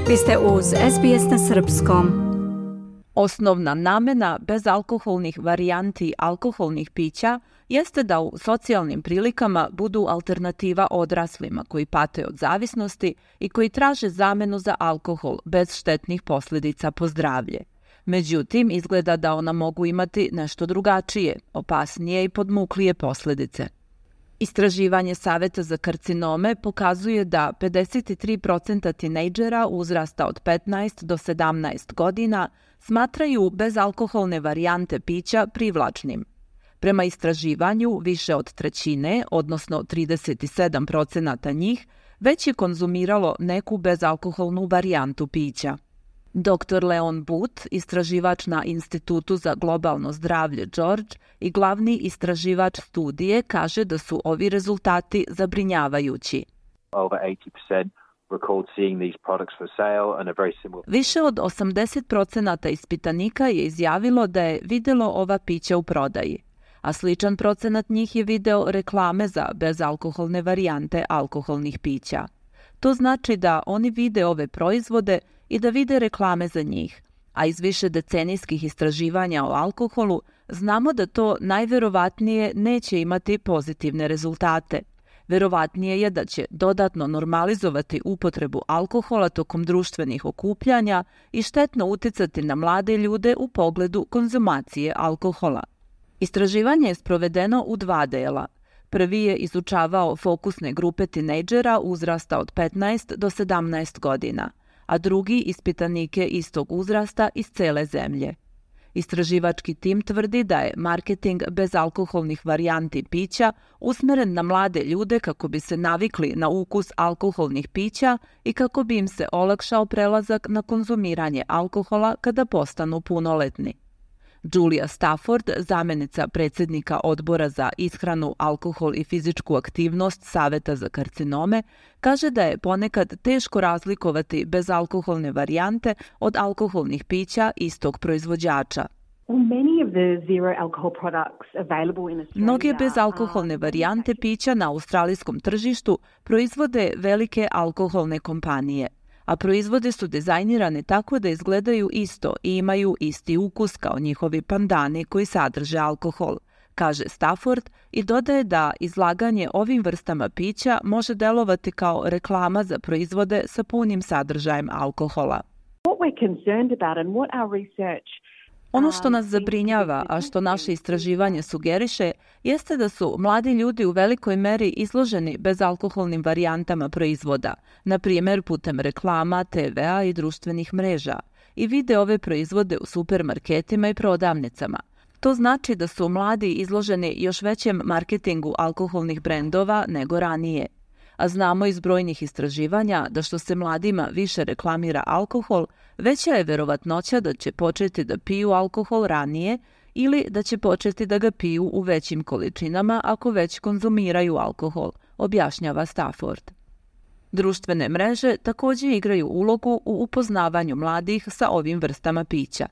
Vi ste uz SBS na srpskom. Osnovna namena bezalkoholnih varijanti alkoholnih pića jeste da u socijalnim prilikama budu alternativa odraslima koji pate od zavisnosti i koji traže zamenu za alkohol bez štetnih posljedica po zdravlje. Međutim, izgleda da ona mogu imati nešto drugačije, opasnije i podmuklije posljedice. Istraživanje Saveta za karcinome pokazuje da 53% tinejdžera uzrasta od 15 do 17 godina smatraju bezalkoholne varijante pića privlačnim. Prema istraživanju, više od trećine, odnosno 37% njih, već je konzumiralo neku bezalkoholnu varijantu pića. Dr. Leon Booth, istraživač na Institutu za globalno zdravlje George i glavni istraživač studije, kaže da su ovi rezultati zabrinjavajući. Više od 80% ispitanika je izjavilo da je vidjelo ova pića u prodaji, a sličan procenat njih je video reklame za bezalkoholne varijante alkoholnih pića. To znači da oni vide ove proizvode i da vide reklame za njih, a iz više decenijskih istraživanja o alkoholu znamo da to najverovatnije neće imati pozitivne rezultate. Verovatnije je da će dodatno normalizovati upotrebu alkohola tokom društvenih okupljanja i štetno uticati na mlade ljude u pogledu konzumacije alkohola. Istraživanje je sprovedeno u 2 dela. Prvi je izučavao fokusne grupe tinejdžera uzrasta od 15 do 17 godina, a drugi ispitanike istog uzrasta iz cele zemlje. Istraživački tim tvrdi da je marketing bezalkoholnih varijanti pića usmeren na mlade ljude kako bi se navikli na ukus alkoholnih pića i kako bi im se olakšao prelazak na konzumiranje alkohola kada postanu punoletni. Julia Stafford, zamjenica predsjednika odbora za ishranu, alkohol i fizičku aktivnost Saveta za karcinome, kaže da je ponekad teško razlikovati bezalkoholne varijante od alkoholnih pića istog proizvođača. Mnoge bezalkoholne varijante pića na australijskom tržištu proizvode velike alkoholne kompanije, a proizvode su dizajnirane tako da izgledaju isto i imaju isti ukus kao njihovi pandani koji sadrže alkohol, kaže Stafford i dodaje da izlaganje ovim vrstama pića može delovati kao reklama za proizvode sa punim sadržajem alkohola. Ono što nas zabrinjava, a što naše istraživanje sugeriše, jeste da su mladi ljudi u velikoj meri izloženi bezalkoholnim varijantama proizvoda, na primjer putem reklama, TV-a i društvenih mreža, i vide ove proizvode u supermarketima i prodavnicama. To znači da su mladi izloženi još većem marketingu alkoholnih brendova nego ranije. A znamo iz brojnih istraživanja da što se mladima više reklamira alkohol, veća je verovatnoća da će početi da piju alkohol ranije ili da će početi da ga piju u većim količinama ako već konzumiraju alkohol, objašnjava Stafford. Društvene mreže također igraju ulogu u upoznavanju mladih sa ovim vrstama pića.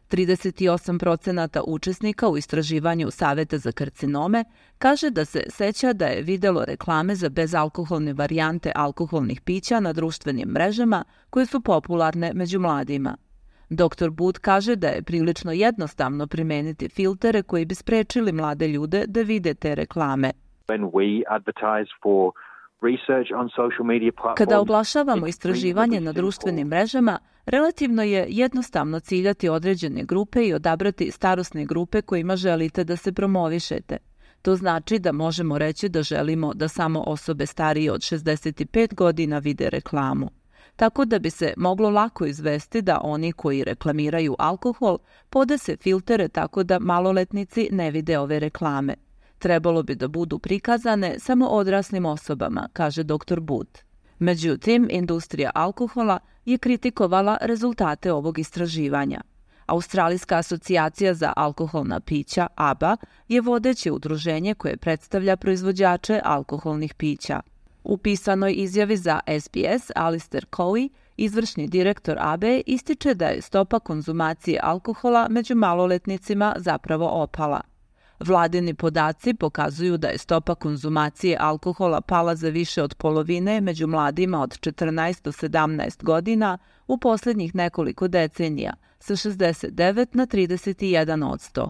38% učesnika u istraživanju Saveta za karcinome kaže da se seća da je videlo reklame za bezalkoholne varijante alkoholnih pića na društvenim mrežama koje su popularne među mladima. Dr. Booth kaže da je prilično jednostavno primeniti filtere koji bi sprečili mlade ljude da vide te reklame. Kada oglašavamo istraživanje na društvenim mrežama, relativno je jednostavno ciljati određene grupe i odabrati starosne grupe kojima želite da se promovišete. To znači da možemo reći da želimo da samo osobe starije od 65 godina vide reklamu. Tako da bi se moglo lako izvesti da oni koji reklamiraju alkohol podese filtere tako da maloletnici ne vide ove reklame. Trebalo bi da budu prikazane samo odraslim osobama, kaže dr. Booth. Međutim, industrija alkohola je kritikovala rezultate ovog istraživanja. Australijska asocijacija za alkoholna pića, ABA, je vodeće udruženje koje predstavlja proizvođače alkoholnih pića. U pisanoj izjavi za SBS, Alistair Cowie, izvršni direktor ABE, ističe da je stopa konzumacije alkohola među maloletnicima zapravo opala. Vladini podaci pokazuju da je stopa konzumacije alkohola pala za više od polovine među mladima od 14 do 17 godina u posljednjih nekoliko decenija, sa 69 na 31%.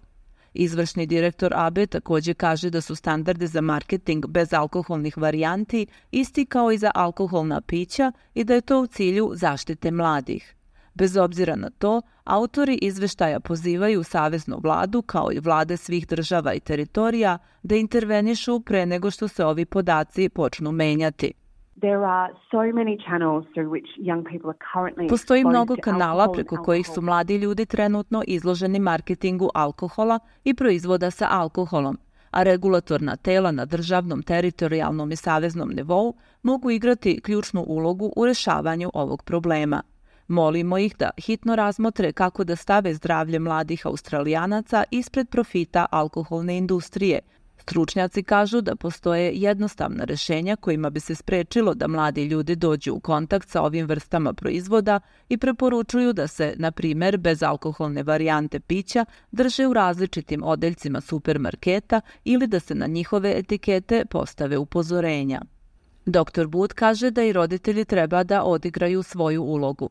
Izvršni direktor AB također kaže da su standardi za marketing bez alkoholnih varijanti isti kao i za alkoholna pića i da je to u cilju zaštite mladih. Bez obzira na to, autori izveštaja pozivaju saveznu vladu kao i vlade svih država i teritorija da intervenišu pre nego što se ovi podaci počnu menjati. Postoji mnogo kanala preko kojih su mladi ljudi trenutno izloženi marketingu alkohola i proizvoda sa alkoholom, a regulatorna tela na državnom, teritorijalnom i saveznom nivou mogu igrati ključnu ulogu u rešavanju ovog problema. Molimo ih da hitno razmotre kako da stave zdravlje mladih Australijanaca ispred profita alkoholne industrije. Stručnjaci kažu da postoje jednostavna rešenja kojima bi se sprečilo da mladi ljudi dođu u kontakt sa ovim vrstama proizvoda i preporučuju da se, na primjer, bezalkoholne varijante pića drže u različitim odeljcima supermarketa ili da se na njihove etikete postave upozorenja. Dr. Booth kaže da i roditelji treba da odigraju svoju ulogu.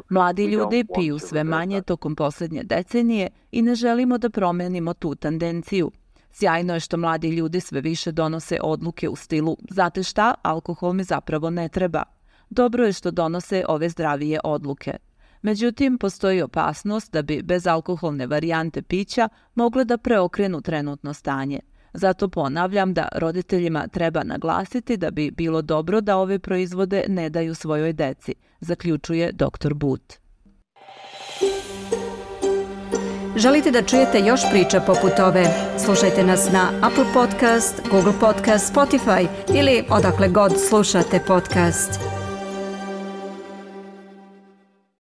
Mladi ljudi piju sve manje tokom posljednje decenije i ne želimo da promenimo tu tendenciju. Sjajno je što mladi ljudi sve više donose odluke u stilu znate šta, alkohol mi zapravo ne treba. Dobro je što donose ove zdravije odluke. Međutim, postoji opasnost da bi bezalkoholne varijante pića mogle da preokrenu trenutno stanje. Zato ponavljam da roditeljima treba naglasiti da bi bilo dobro da ove proizvode ne daju svojoj deci, zaključuje dr. Booth. Želite da čujete još priča poput ove? Slušajte nas na Apple Podcast, Google Podcast, Spotify ili odakle god slušate podcast.